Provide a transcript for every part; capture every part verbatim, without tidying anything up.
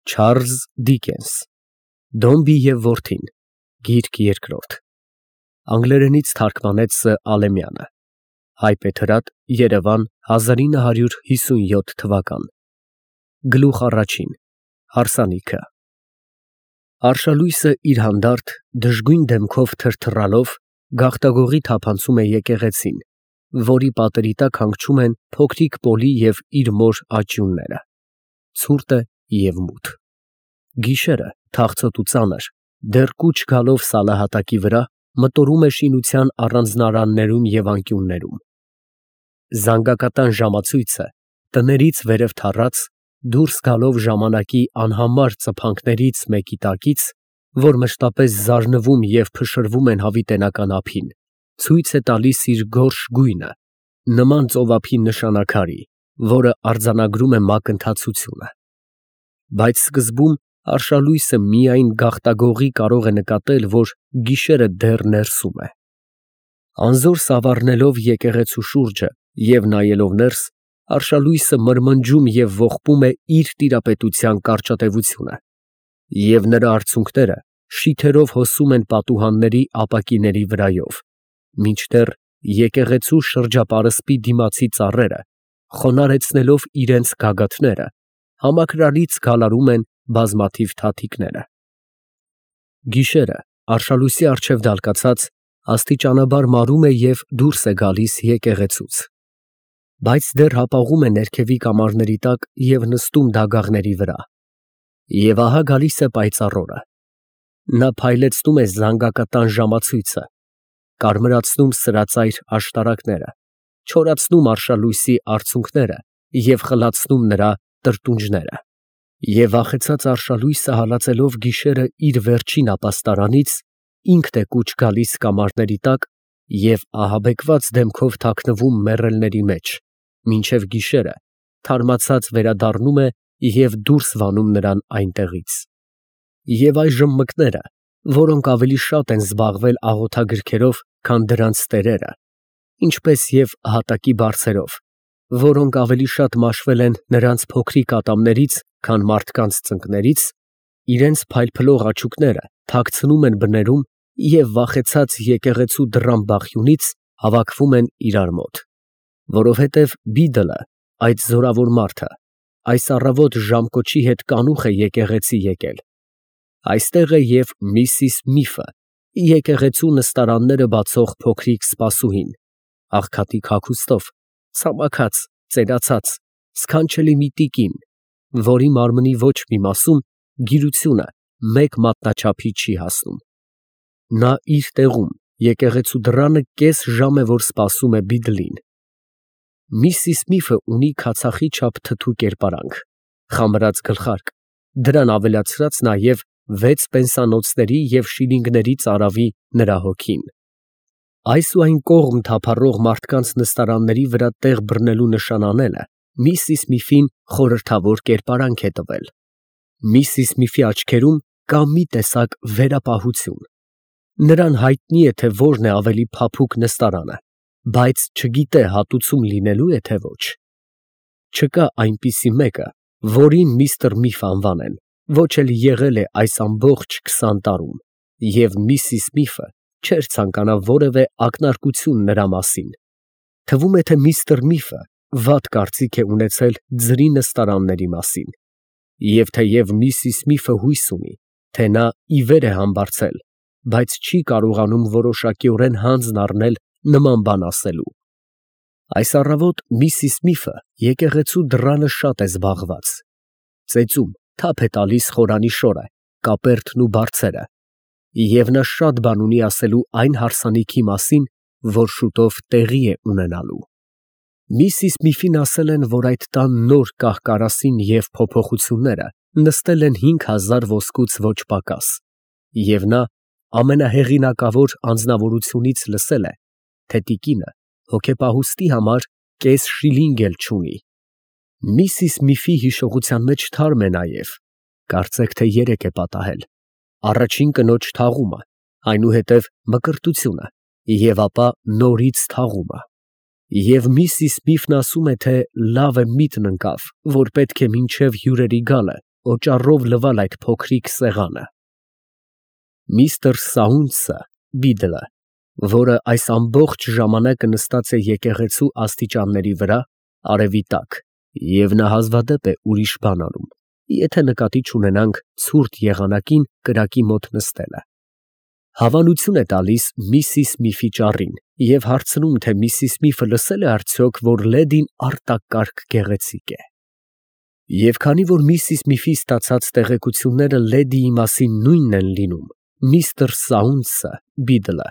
Չարլզ Դիկենս Դոմբի և որդին Գիրք երկրորդ Անգլերենից թարգմանեց Ս. Ալեմյանը Հայբեթրատ Երևան հազար ինը հարյուր հիսունյոթ թվական Գլուխ առաջին Հարսանիքը Արշալույսը իր հանդարտ դժգույն դեմքով թրթռալով գաղտագողի թափանցում է եկեղեցին, որի պատերի տակ հանգչում են փոքրիկ Պոլի և իր մոր աճյունները, ցուրտ է և մութ։ Գիշերը, թախծոտ ու ծանր, դեռ կուչ գալով սալահատակի վրա, մտորում է շինության առանձնարաններում և անկյուններում։ Զանգակատան ժամացույցը, տներից վերև թառած, դուրս գալով ժամանակի անհամար ծփանքներից մեկի տակից, որ մշտապես զարնվում և փշրվում են հավիտենական ափին, ցույց է տալիս իր գորշ գույնը, նման ծովափի նշանաքարի, որը արձանագրում է մակընթացությունը։ Բայց սկզբում արշալույսը միայն գաղտագողի կարող է նկատել, որ գիշերը դեռ ներսում է։ Անզոր սավառնելով եկեղեցու շուրջը և նայելով ներս, արշալույսը մրմնջում և ողբում է իր տիրապետության կարճատևությունը, և նրա արցունքները շիթերով հոսում են պատուհանների ապակիների վրայով, մինչդեռ եկեղեցու շրջապարսպի դիմացի ծառերը, խոնարհեցնելով իրենց գագաթները, համակրալից գալարում են բազմաթիվ թաթիկները։ Գիշերը, արշալույսի առջև դալկացած, աստիճանաբար մարում է և դուրս է գալիս եկեղեցուց, բայց դեռ հապաղում է ներքևի կամարների տակ և նստում դագաղների վրա։ Եվ ահա գալիս է պայծառ օրը։ Նա փայլեցնում է զանգակատան ժամացույցը, կարմրացնում սրածայր աշտարակները, չորացնում արշալույսի արցունքները և խլացնում նրա տրտունջները, և վախեցած արշալույսը հալածելով գիշերը իր վերջին ապաստարանից, ինքն է կուչ գալիս կամարների տակ և ահաբեկված դեմքով թաքնվում մեռելների մեջ, մինչև գիշերը թարմացած վերադառնում է և դուրս վանում նրան այնտեղից։ Եվ այժմ մկները, որոնք ավելի շատ են զբաղվել աղոթագրքերով, քան դրանց տերերը, ինչպես և հատակի բարձերով, որոնք ավելի շատ մաշվել են նրանց փոքրիկ ատամներից, քան մարդկանց ծնկներից, իրենց փայլփլող աչուկները թաքցնում են բներում և վախեցած եկեղեցու դռան բախյունից հավաքվում են իրար մոտ, որովհետև Բիդլը, այդ զորավոր մարդը, այս առավոտ ժամկոչի հետ կանուխ է եկեղեցի եկել։ Այստեղ է և Միսիս Միֆը, եկեղեցու նստարանները բացող փոքրիկ սպասուհին, աղքատիկ հագուստով, ցամաքած, ծերացած, սքանչելի մի տիկին, որի մարմնի ոչ մի մասում գիրությունը մեկ մատնաչափի չի հասնում։ Նա իր տեղում եկեղեցու դռանը կես ժամ է, որ սպասում է Բիդլին։ Միսիս Միֆը ունի քացախի չափ թթու կերպարանք, խամրած գլխարկ, դրան ավելացրած նաև վեց պենսանոցների և շիլինգների ծարավի նրա հոգին։ Այս ու այն կողմ թափառող մարդկանց նստարանների վրա տեղ բռնելու նշան անելը Միսիս Միֆին խորհրդավոր կերպարանք է տվել։ Միսիս Միֆի աչքերում կա մի տեսակ վերապահություն։ Նրան հայտնի է, թե որն է ավելի փափուկ նստարանը, բայց չգիտե հատուցում լինելու է, թե ոչ։ Չկա այնպիսի մեկը, որին միստր Միֆ անվանեն, ոչ էլ եղել է այս ամբողջ քսան տարում, և Միսիս Միֆը չէր ցանկանա որևէ ակնարկություն նրա մասին։ Թվում է, թե միստր Միֆը վատ կարծիք է ունեցել ձրի նստարանների մասին, և թեև Միսիս Միֆը հույս ունի, թե նա ի վեր է համբարձել, բայց չի կարողանում որոշակիորեն հանձն առնել նման բան ասելու։ Այս առավոտ Միսիս Միֆը եկեղեցու դռանը շատ է զբաղված։ Ծեծում, թափ է տալիս խորանի շորը, կապերտն ու բարձերը, և նա շատ բան ունի ասելու այն հարսանիքի մասին, որ շուտով տեղի է ունենալու։ Միսիս Միֆին ասել են, որ այդ տան նոր կահ֊կարասին և փոփոխությունները նստել են հինգ հազար ոսկուց ոչ պակաս, և նա ամենահեղինակավոր անձնավորությունից լսել է, թե տիկինը հոգեպահուստի համար կես շիլինգ էլ չունի։ Միսիս Միֆի հիշողության մեջ թարմ է նաև, կարծեք թե երեկ է պատահել, առաջին կնոջ թաղումը, այնուհետև մկրտությունը և ապա նորից թաղումը։ Եվ Միսիս Միֆն ասում է, թե լավ է միտն ընկավ, որ պետք է մինչև հյուրերի գալը օճառով լվալ այդ փոքրիկ սեղանը։ Միստր Սաունցը, բիդլը, որը այս ամբողջ ժամանակը նստած է եկեղեցու աստիճանների վրա, արևի տակ, և նա հազվադեպ է ուրիշ բան անում, եթե նկատի չունենանք ցուրտ եղանակին կրակի մոտ նստելը, հավանություն է տալիս Միսիս Միֆի ճառին և հարցնում, թե Միսիս Միֆը լսել է արդյոք, որ լեդին արտակարգ գեղեցիկ է։ Եվ քանի որ Միսիս Միֆի ստացած տեղեկությունները լեդիի մասին նույնն են լինում, միստր Սաունցը, բիդլը,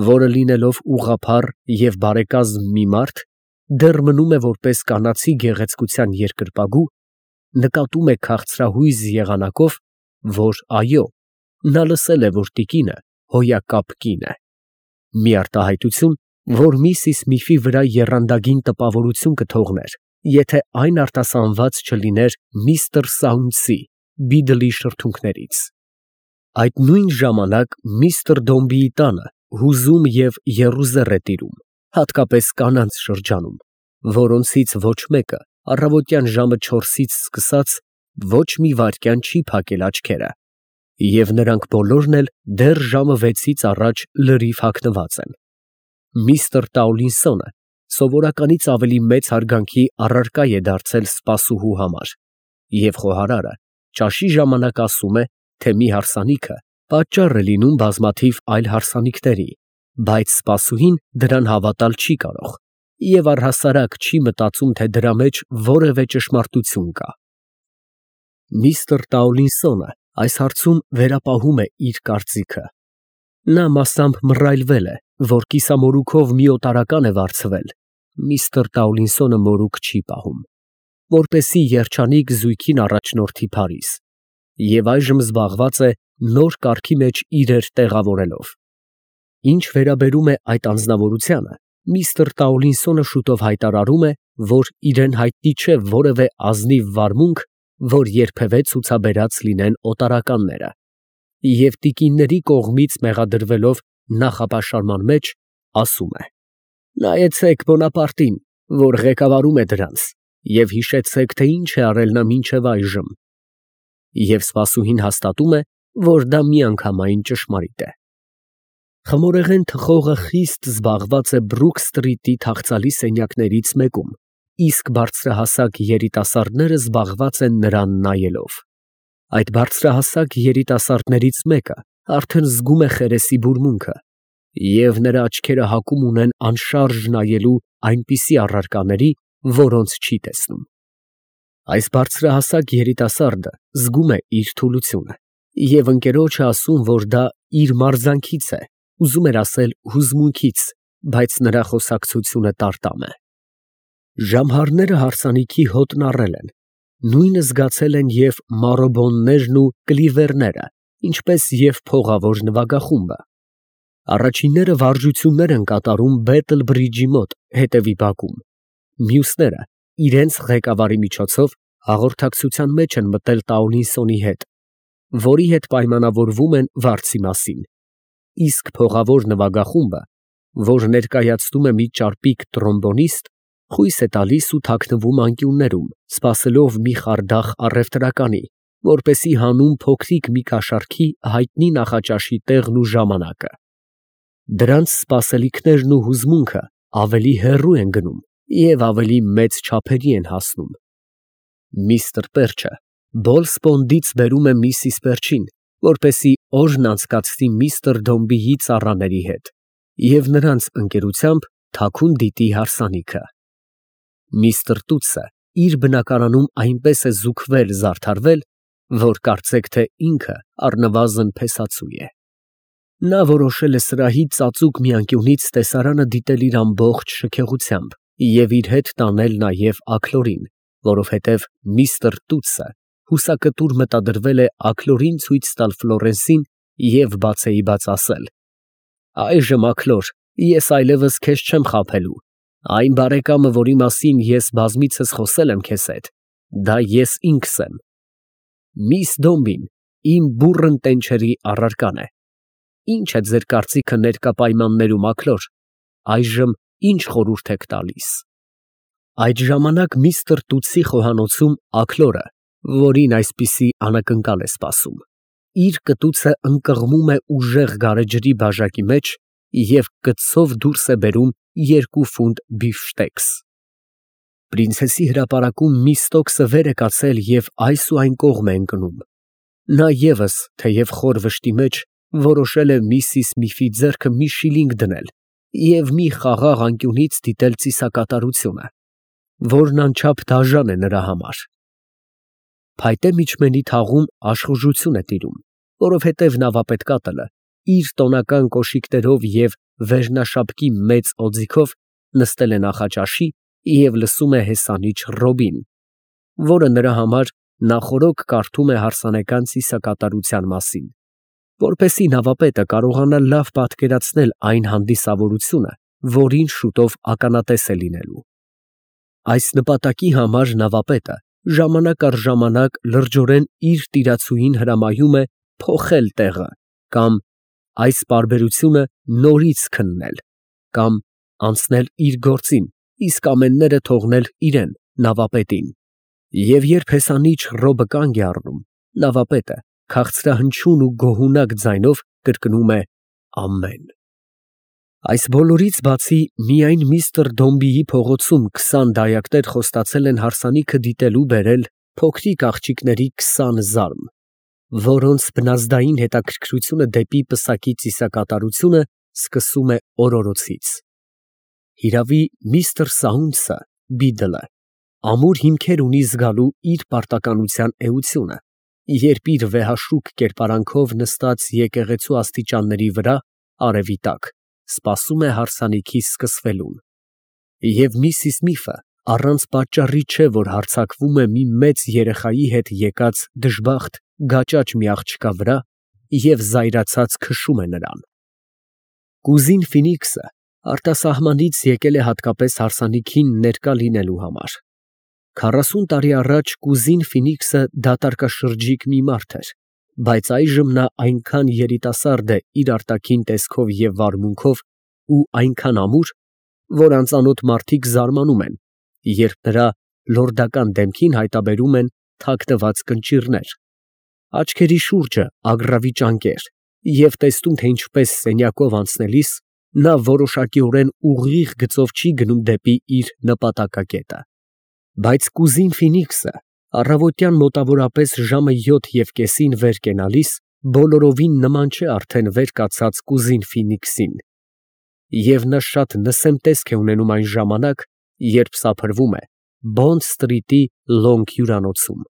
որը լինելով ուղղափառ և բարեկազմ մի մարդ, դեռ մնում է որպես կանացի գեղեցկության երկրպագու, նկատում է քաղցրահույզ եղանակով, որ այո, նա լսել է, որ տիկինը հոյակապ կին է, մի արտահայտություն, որ Միսիս Միֆի վրա եռանդագին տպավորություն կթողներ, եթե այն արտասանված չլիներ միստր Սաունցի, բիդլի շրթունքներից։ Այդ նույն ժամանակ միստր Դոմբիի տանը հուզում և եռուզեռ է տիրում, հատկապես կանանց շրջանում, որոնցից ոչ մեկը առավոտյան ժամը չորսից սկսած ոչ մի վայրկյան չի փակել աչքերը, և նրանք բոլորն էլ դեռ ժամը վեցից առաջ լրիվ հագնված են։ Միստր Տաուլինսոնը սովորականից ավելի մեծ հարգանքի առարկա է դարձել սպասուհու համար, և խոհարարը ճաշի ժամանակ ասում է, թե մի հարսանիքը պատճառ է լինում բազմաթիվ այլ հարսանիքների, բայց սպասուհին դրան հավատալ չի կարող և առհասարակ չի մտածում, թե դրա մեջ որևէ ճշմարտություն կա։ Միստր Տաուլինսոնը այս հարցում վերապահում է իր կարծիքը։ Նա մասամբ մռայլվել է, որ կիսամորուքով մի օտարական է վարձվել, միստր Տաուլինսոնը մորուք չի պահում, որպեսզի երջանիկ զույգին առաջնորդի Փարիզ, և այժմ զբաղված է նոր կարգի մեջ իրեր տեղավորելով։ Ինչ վերաբերում է այդ անձնավորությանը, միստր Տաուլինսոնը շուտով հայտարարում է, որ իրեն հայտնի չէ որևէ ազնիվ վարմունք, որ երբևէ ցուցաբերած լինեն օտարականները, և տիկինների կողմից մեղադրվելով նախապաշարման մեջ, ասում է. «Նայեցեք Բոնապարտին, որ ղեկավարում է դրանց, և հիշեցեք, թե ինչ է արել նա մինչև այժմ», և սպասուհին հաստատում է, որ դա միանգամայն ճշմարիտ է։ Խմորեղեն թխողը խիստ զբաղված է Բրուք սթրիթի թախծալի սենյակներից մեկում, իսկ բարձրահասակ երիտասարդները զբաղված են նրան նայելով։ Այդ բարձրահասակ երիտասարդներից մեկը արդեն զգում է Խերեսի բուրմունքը, և նրա աչքերը հակում ունեն անշարժ նայելու այնպիսի առարկաների, որոնց չի տեսնում։ Այս բարձրահասակ երիտասարդը զգում է իր թուլությունը և ընկերոջը ասում, որ դա իր մարզանքից է, ուզում էր ասել հուզմունքից, բայց նրա խոսակցությունը տարտամ է։ Ժամհարները հարսանիքի հոտն առել են, նույնը զգացել են և մարոբոններն ու կլիվերները, ինչպես և փողավոր նվագախումբը։ Առաջինները վարժություններ են կատարում Բեթլ բրիջի մոտ հետևի բակում, մյուսները իրենց ղեկավարի միջոցով հաղորդակցության մեջ են մտել Տաուլինսոնի հետ, որի հետ պայմանավորվում են վարձի մասին, իսկ փողավոր նվագախումբը, որ ներկայացնում է մի ճարպիկ տրոմբոնիստ, խույս է տալիս ու թաքնվում անկյուններում, սպասելով մի խարդախ առևտրականի, որպեսզի հանուն փոքրիկ մի կաշառքի հայտնի նախաճաշի տեղն ու ժամանակը։ Դրանց սպասելիքներն ու հուզմունքը ավելի հեռու են գնում և ավելի մեծ չափերի են հասնում։ Միստր Պերչը Բոլսպոնդից բերում է միսիս Պերչին, որպեսզի օրն անցկացնի միստր Դոմբիի ծառաների հետ և նրանց ընկերությամբ թաքուն դիտի հարսանիքը։ Միստր Տուտսը իր բնակարանում այնպես է զուգվել զարդարվել, որ կարծեք, թե ինքը առնվազն փեսացու է։ Նա որոշել է սրահի ծածուկ մի անկյունից տեսարանը դիտել իր ամբողջ շքեղությամբ և իր հետ տանել նաև Աքլորին, որովհետև միստր Տուտսը հուսակտուր մտադրվել է Աքլորին ցույց տալ Ֆլորենսին և բացեիբաց ասել. «Այժմ, Աքլոր, ես այլևս քեզ չեմ խաբելու, այն բարեկամը, որի մասին ես բազմիցս խոսել եմ քեզ հետ, դա ես ինքս եմ։ Միս Դոմբին իմ բուռն տենչերի առարկան է։ Ի՞նչ է ձեր կարծիքը ներկա պայմաններում, Աքլոր, այժմ ի՞նչ խորհուրդ եք տալիս»։ Այդ ժամանակ միստր Տուտսի խոհանոցում Աքլորը, որին այսպիսի անակնկալ է սպասում։ Իր կտուցը ընկղմում է ուժեղ գարեջրի բաժակի մեջ և կցով դուրս է բերում երկու ֆունտ բիֆշտեքս։ Պրինցեսի հրապարակում Միստոկսը վեր է կացել և այս ու այն կողմ է ընկնում։ Նա ևս, թեև խոր վշտի մեջ, որոշել է Միսիս Միֆի ձեռքը մի շիլինգ դնել և մի խաղաղ անկյունից դիտել ծիսակատարությունը, որն անչափ դաժան է նրա համար։ Փայտե միջմենի թաղում աշխուժություն է տիրում, որովհետև նավապետ կատլը իր տոնական կոշիկներով և վերնաշապկի մեծ օձիքով նստել է նախաճաշի և լսում է հեսանիչ Ռոբին, որը նրա համար նախօրոք կարդում է հարսանեկան ծիսակատարության մասին, որպեսզի նավապետը կարողանա լավ պատկերացնել այն հանդիսավորությունը, որին շուտով ականատես է լինելու։ Այս նպատակի համար նավապետը ժամանակ առ ժամանակ լրջորեն իր տիրացուհին հրամայում է փոխել տեղը կամ այս պարբերությունը նորից քննել, կամ անցնել իր գործին, իսկ ամենները թողնել իրան, նավապետին։ Եվ երբ հեսանիչ Ռոբը կանգ է առնում, նավապետը քաղցրահնչյուն ու գոհունակ ձայնով կրկնում է ամեն։ Այս բոլորից բացի, միայն միստր Դոմբիի փողոցում քսան դայակներ խոստացել են հարսանիքը դիտելու բերել փոքրիկ աղջիկների քսան զարմ, որոնց բնազդային հետաքրքրությունը դեպի պսակի ծիսակատարությունը սկսում է օրորոցից։ Հիրավի, միստր Սաունցը (Բիդլը) ամուր հիմքեր ունի զգալու իր պարտականության էությունը, երբ իր վեհաշուկ կերպարանքով նստած եկեղեցու աստիճանների վրա, արևի տակ, սպասում է հարսանիքի սկսվելուն։ Եվ Միսիս Միֆը առանց պատճառի չէ, որ հարձակվում է մի մեծ երեխայի հետ եկած դժբախտ գաճաճ մի աղջկա վրա և զայրացած քշում է նրան։ Կուզին Ֆինիքսը արտասահմանից եկել է հատկապես հարսանիքին ներկա լինելու համար։ Քառասուն տարի առաջ կուզին Ֆինիքսը դատարկաշրջիկ մի մարդ էր, բայց այժմ նա այնքան երիտասարդ է իր արտաքին տեսքով և վարմունքով ու այնքան ամուր, որ անծանոթ մարդիկ զարմանում են, երբ նրա լորդական դեմքին հայտնաբերում են թաքնված կնճիռներ, աչքերի շուրջը ագռավի ճանկեր և տեսնում, թե ինչպես սենյակով անցնելիս նա որոշակիորեն ուղիղ գծով չի գնում դեպի իր նպատակակետը։ Բայց կուզին Ֆինիքսը առավոտյան մոտավորապես ժամը յոթ և կեսին վեր կենալիս բոլորովին նման չէ արդեն վեր կացած կուզին Ֆինիքսին, և նա շատ նսեմ տեսք է ունենում այն ժամանակ, երբ սափրվում է Բոնդ սթրիթի Լոնգ հյուրանոցում։